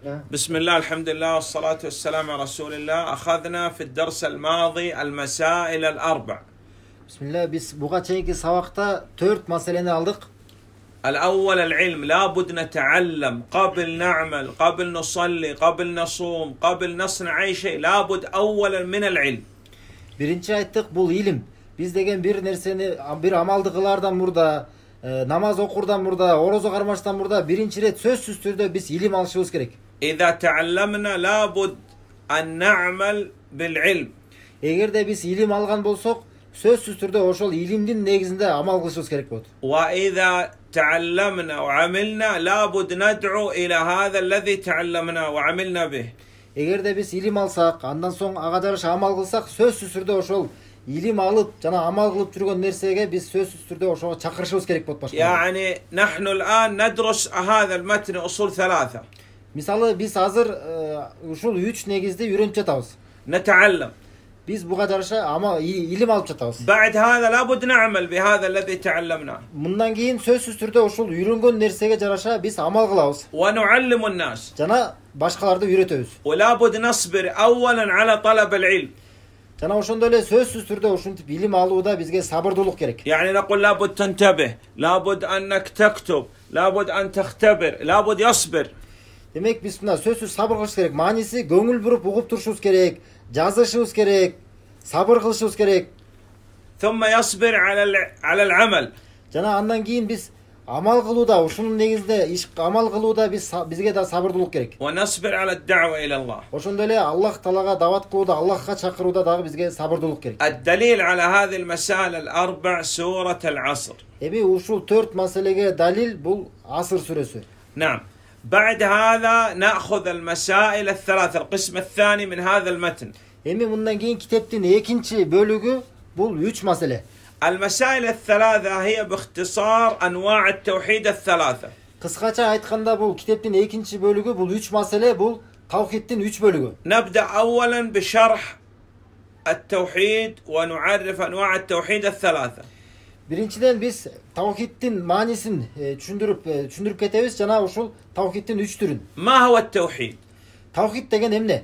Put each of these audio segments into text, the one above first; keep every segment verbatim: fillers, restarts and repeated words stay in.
بسم الله الحمد لله والصلاة والسلام على رسول الله. أخذنا في الدرس الماضي المسائل الأربع. بسم الله. Biz buga çeyinki sabakta dört meseleni aldık. الأول العلم، لابد نتعلم قبل نعمل، قبل نصلي، قبل نصوم، قبل نصنع أي شيء، لابد أولا من العلم. Birinci ayttık bul ilim. Biz degen bir nerseni bir amaldı kılardan burada, e, namaz okurdan burada, orozo karmaştan burada birinci ret sözsüz türde biz ilim alışımız gerek. إذا تعلمنا لابد أن نعمل بالعلم. Eğer de biz ilim algan bolsok, sözsüz türde oşol ilimdin negizinde amal kılışımız gerek boldu. وإذا تعلمنا وعملنا لابد ندعو إلى هذا الذي تعلمنا وعملنا به. Eğer de biz ilim alsak, andan soň aga жараша amal kılsak, sözsüz türde oşol ilim alıp, jana amal kılıp жүргөн nersege biz sözsüz türde oşoga çakırışыбыз керек болот başka. يعني نحن الآن ندرس هذا المتن أصول ثلاثة. Misalı biz hazır uşul üç negizde үйрөнүп жатабыз. نتعلم. Biz buga жараша ama ilim alıp жатабыз. بعد هذا لابد نعمل بهذا الذي تعلمناه. Мындан кийин сөзсүз түрдө ушул үйрөнгөн нерсеге жараша биз амал кылабыз. ونعلم الناس. Жана башкаларды үйрөтөбүз. ولابد نصبر أولا على طلب العلم. Жана ошондой эле сөзсүз түрдө ушинтип илим алууда бизге сабырдуулук керек. يعني نقول لابد تنتبه، لابد أنك تكتب، لابد أن تختبر، لابد يصبر. Демек биз мына сөзсүз сабыр кылыш керек. Мааниси көңүл буруп угуп турушубуз керек, жазышыбыз керек, сабыр кылышыбыз керек. ثم يصبر على على العمل. Жана андан кийин биз амал кылууда, ушунун негизинде иш амал кылууда биз бизге да сабырдуулук керек. ونصبر على الدعوة إلى الله. Ошондой эле Аллах Таалага дават кылууда, Аллахка чакырууда дагы бизге сабырдуулук керек. الدليل على هذه المسائل الأربع سورة العصر. Эми ушул төрт маселеге далил бул Асыр сүрөсү. نعم. بعد هذا نأخذ المسائل الثلاثة، القسم الثاني من هذا المتن. Эми мындан кийин китептин экинчи бөлүгү бул үч маселе. المسائل الثلاثة هي باختصار أنواع التوحيد الثلاثة. Кыскача айтканда бул китептин экинчи бөлүгү бул үч маселе, бул тавхидтин үч бөлүгү. نبدأ أولا بشرح التوحيد ونعرف أنواع التوحيد الثلاثة. Биринчиден биз тавхидтин маанисин түшүндүрүп түшүндүрүп кетебиз, жана ушул тавхидтин үч түрүн. ما هو التوحيد؟ Тавхид деген эмне?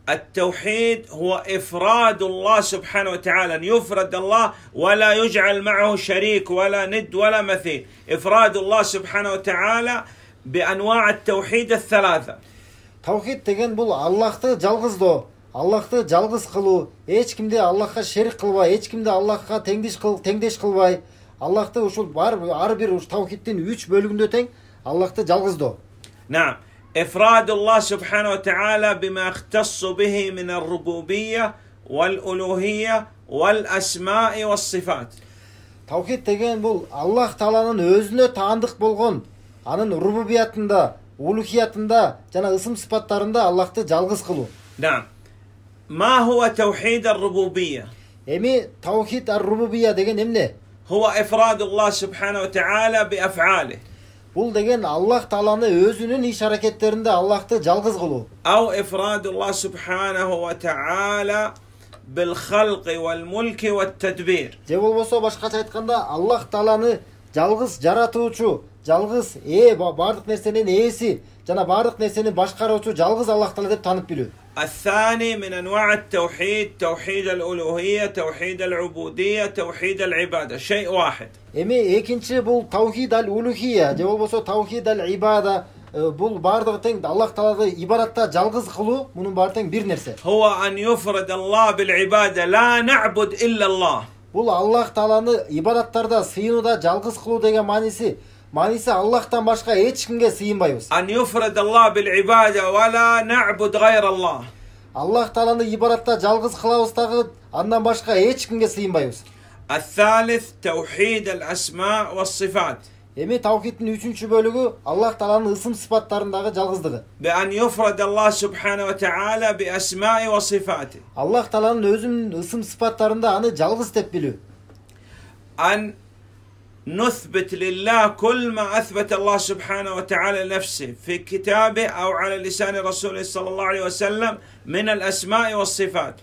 التوحيد هو إفراد الله سبحانه وتعالى، أن يفرد الله ولا يجعل معه شريك ولا ند ولا مثيل. إفراد الله سبحانه وتعالى بأنواع التوحيد الثلاثة. Тавхид деген бул Аллахты жалгыздоо, Аллахты жалгыз кылуу, эч кимди Аллахка шерик кылбай, эч кимди Аллахка теңдеш кыл, теңдеш кылбай, Аллахты ушул бар ар бир уш тавхидтин үч бөлүгүндө тең Аллахты жалгыздоо. نعم. إفراد الله سبحانه وتعالى بما اختص به من الربوبية والألوهية والأسماء والصفات. Тавхид деген бул Аллах Тааланын өзүнө таандык болгон, анын рубубиятында, улухиятында жана ысым сыпаттарында Аллахты жалгыз кылуу. نعم. ما هو توحيد الربوبية؟ Эми тавхид ар-рубубия деген эмне? هو إفراد الله سبحانه وتعالى بأفعاله. Бул деген Аллах Тааланы өзүнүн иш аракеттеринде Аллахты жалгыз кылуу. أو إفراد الله سبحانه وتعالى بالخلق والملك والتدبير. Же болбосо башкача айтканда Аллах Тааланы жалгыз жаратуучу, жалгыз ээ бардык нерсенин ээси жана бардык нерсени башкаруучу жалгыз Аллах Таала деп таанып билүү. الثاني من أنواع التوحيد توحيد الألوهية، توحيد العبودية، توحيد العبادة، شيء واحد. Эми экинчи бул тавхид ал-улухия, же болбосо тавхид ал-ибада, бул бардыгы тең Аллах Тааланы ибадатта жалгыз кылуу, мунун баары тең бир нерсе. هو أن يفرد الله بالعبادة، لا نعبد إلا الله. Бул Аллах Тааланы ибадаттарда сыйынууда жалгыз кылуу деген мааниси, мааниси Аллахтан башка эч кимге сыйынбайбыз. أن يفرد الله بالعبادة ولا نعبد غير الله. Аллах Тааланы ибадатта жалгыз кылабыз дагы, андан башка эч кимге сыйынбайбыз. الثالث توحيد الأسماء والصفات. Эми тавхидтин үчүнчү бөлүгү Аллах Тааланын ысым сыпаттарындагы жалгыздыгы. بأن يفرد الله سبحانه وتعالى بأسماء وصفاته. Аллах Тааланын өзүнүн ысым сыпаттарында аны жалгыз деп билүү. أن نثبت لله كل ما أثبت الله سبحانه وتعالى لنفسه في كتابه أو على لسان رسوله صلى الله عليه وسلم من الأسماء والصفات.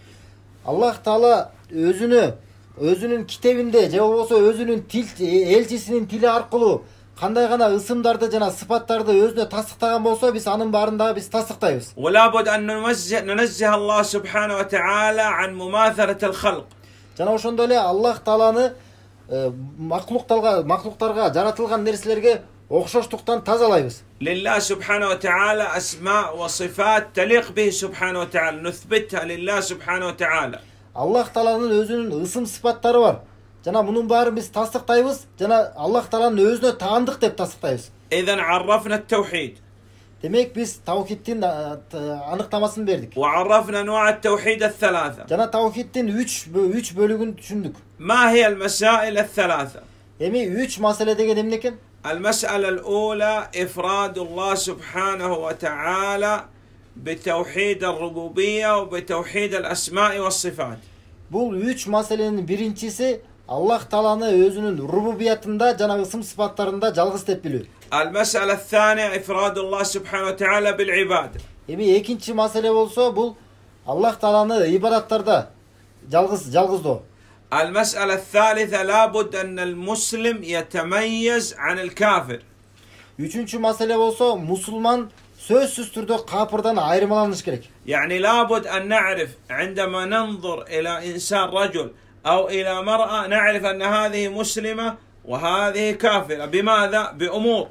Аллах Таала өзүнө өзүнүн китебинде же болбосо өзүнүн тил элчисинин тили аркылуу кандай гана ысымдарды жана сыпаттарды өзүнө тастыктаган болсо, биз анын баарын дагы биз тастыктайбыз. ولا بد أن ننزه ننزه الله سبحانه وتعالى عن مماثلة الخلق. Жана ошондой эле Аллах Тааланы маклуктарга, маклуктарга жаратылган нерселерге окшоштуктан тазалайбыз. لله سبحانه وتعالى أسماء وصفات تليق به سبحانه وتعالى نثبتها لله سبحانه وتعالى. Аллах Тааланын өзүнүн ысым сыпаттары бар. Жана мунун баарын биз тастыктайбыз, жана Аллах Тааланын өзүнө таандык деп тастыктайбыз. إذن عرفنا التوحيد. Демек биз таухидтин аныктамасын бердик. وعرفنا أنواع التوحيد الثلاثة. Жана таухидтин үч үч бөлүгүн түшүндүк. ما هي المسائل الثلاثة؟ Эми үч маселе деген эмне экен? المسألة الأولى إفراد الله سبحانه وتعالى بتوحيد الربوبية وبتوحيد الأسماء والصفات. Бул үч маселенин биринчиси Аллах Тааланы өзүнүн рубубиятында жана ысым сыпаттарында жалгыз деп билүү. المسألة الثانية إفراد الله سبحانه وتعالى بالعبادة. Эми экинчи маселе болсо, бул Аллах Тааланы ибадаттарда жалгыз жалгыздоо. المسألة الثالثة لابد أن المسلم يتميز عن الكافر. Үчүнчү маселе болсо, мусулман сөзсүз түрдө капырдан айырмаланыш керек. يعني لابد أن نعرف عندما ننظر إلى إنسان رجل أو إلى مرأة نعرف أن هذه مسلمة وهذه كافرة. بماذا؟ بأمور.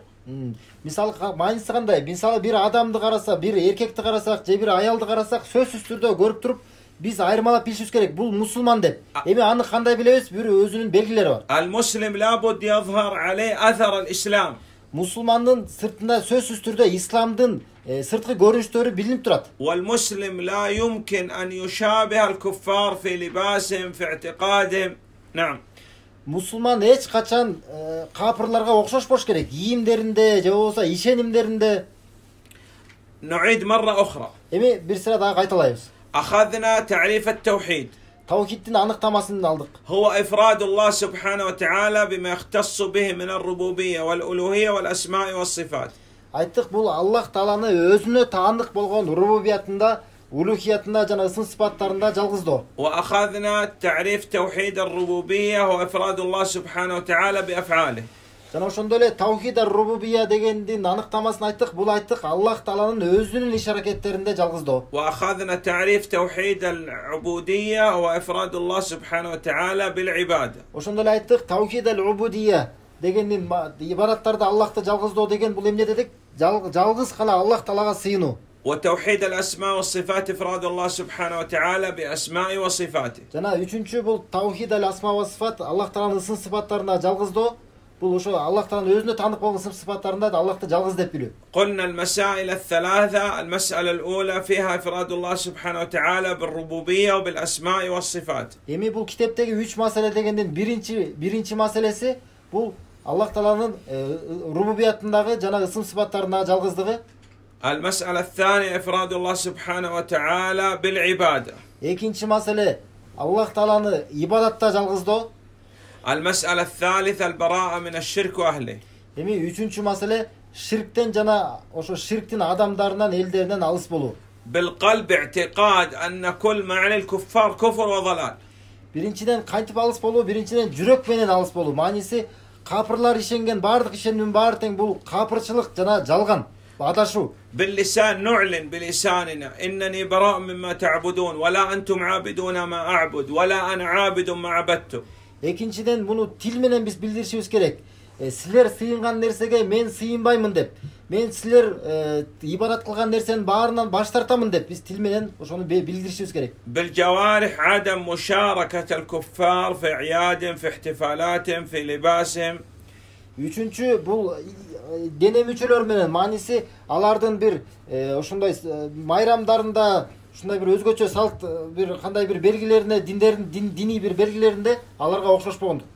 Мисалы мааниси кандай? Мисалы бир адамды караса, бир эркекти карасак, же бир аялды карасак, сөзсүз түрдө көрүп туруп, биз айырмалап билишибиз керек. Бул мусулман деп. Эми аны кандай билебиз? Бир өзүнүн белгилери бар. المسلم لابد يظهر عليه أثر الإسلام. Мусулмандын сыртында сөзсүз түрдө исламдын сырткы көрүнүштөрү билинип турат. والمسلم لا يمكن أن يشابه الكفار في لباسهم في اعتقادهم. نعم. Мусулман эч качан капырларга окшошпош керек. Кийимдеринде же болбосо ишенимдеринде. نعيد مرة أخرى. Эми бир сыра дагы кайталайбыз. أخذنا تعريف التوحيد. Таухидтин аныктамасын алдык. هو إفراد الله سبحانه وتعالى بما يختص به من الربوبية والألوهية والأسماء والصفات. Айттык, бул Аллах Тааланы өзүнө таандык болгон рубубиятында, улухиятында жана ысым сыпаттарында жалгыздоо. وأخذنا تعريف توحيد الربوبية هو إفراد الله سبحانه وتعالى بأفعاله. Жана ошондой эле таухид ар-рубубия дегендин аныктамасын айттык. Бул айттык Аллах Тааланын өзүнүн иш-аракеттеринде жалгыздоо. وأخذنا تعريف توحيد العبودية هو إفراد الله سبحانه وتعالى بالعبادة. Ошондой эле айттык, таухид ар-рубубия дегендин ибадаттарда Аллахты жалгыздоо деген бул эмне дедик? Жалгыз гана Аллах Таалага сыйынуу. وتوحيد الأسماء والصفات إفراد الله سبحانه وتعالى بأسماء وصفاته. Жана үчүнчү бул таухид ал-асма ва сифат, Аллах Тааланын ысым сыпаттарына жалгыздоо. Бул ошо Аллах Тааланын өзүнө таандык болгон ысым сыпаттарында Аллахты жалгыз деп билүү. قلنا المسائل الثلاثة. المسألة الأولى فيها إفراد الله سبحانه وتعالى بالربوبية وبالأسماء والصفات. Эми бул китептеги үч маселе дегендин биринчи биринчи маселеси бул Аллах Тааланын рубубиятындагы жана ысым сыпаттарындагы жалгыздыгы. المسألة الثانية إفراد الله سبحانه وتعالى بالعبادة. Экинчи маселе Аллах Тааланы ибадатта жалгыздоо. المسألة الثالثة البراءة من الشرك وأهله. Эми үчүнчү маселе ширктен жана ошо ширктин адамдарынан, элдеринен алыс болуу. بالقلب اعتقاد أن كل ما عليه الكفار كفر وضلال. Биринчиден кантип алыс болуу? Биринчиден жүрөк менен алыс болуу. Мааниси капырлар ишенген бардык ишенимдин баары тең бул капырчылык жана жалган, адашуу. باللسان نعلن بلساننا إنني براء مما تعبدون ولا أنتم عابدون ما أعبد ولا أنا عابد ما عبدتم. Экинчиден муну тил менен биз билдиришибиз керек. Силер сыйынган нерсеге мен сыйынбаймын деп. Мен силер ибадат кылган нерсенин баарынан баш тартамын деп биз тил менен ошону билдиришибиз керек. بالجوارح عدم مشاركة الكفار في أعيادهم في احتفالاتهم في لباسهم. Үчүнчү бул дене мүчөлөр менен, мааниси алардын бир ошондой майрамдарында, ушундай бир өзгөчө салт, бир кандай бир белгилерине, диндердин диний бир белгилеринде аларга окшошпогондук.